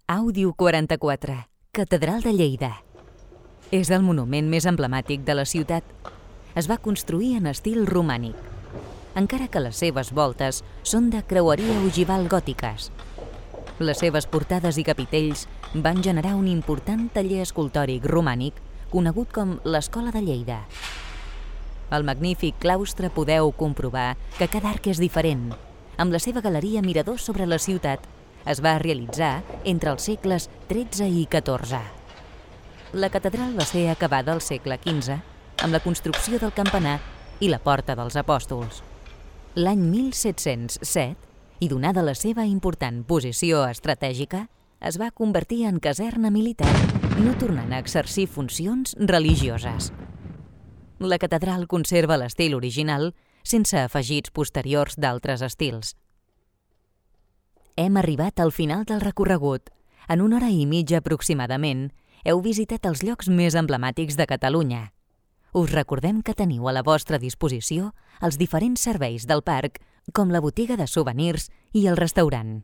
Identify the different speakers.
Speaker 1: Àudio 44, Catedral de Lleida. És el monument més emblemàtic de la ciutat. Es va construir en estil romànic, encara que les seves voltes són de creueria ogival gòtiques. Les seves portades i capitells van generar un important taller escultòric romànic conegut com l'Escola de Lleida. Al magnífic claustre podeu comprovar que cada arc és diferent. Amb la seva galeria mirador sobre la ciutat, es va realitzar entre els segles XIII i XIV. La catedral va ser acabada al segle XV amb la construcció del campanar i la Porta dels Apòstols. L'any 1707, i donada la seva important posició estratègica, es va convertir en caserna militar, no tornant a exercir funcions religioses. La catedral conserva l'estil original, sense afegits posteriors d'altres estils. Hem arribat al final del recorregut. En 1 hora i mitja aproximadament, heu visitat els llocs més emblemàtics de Catalunya. Us recordem que teniu a la vostra disposició els diferents serveis del parc, com la botiga de souvenirs i el restaurant.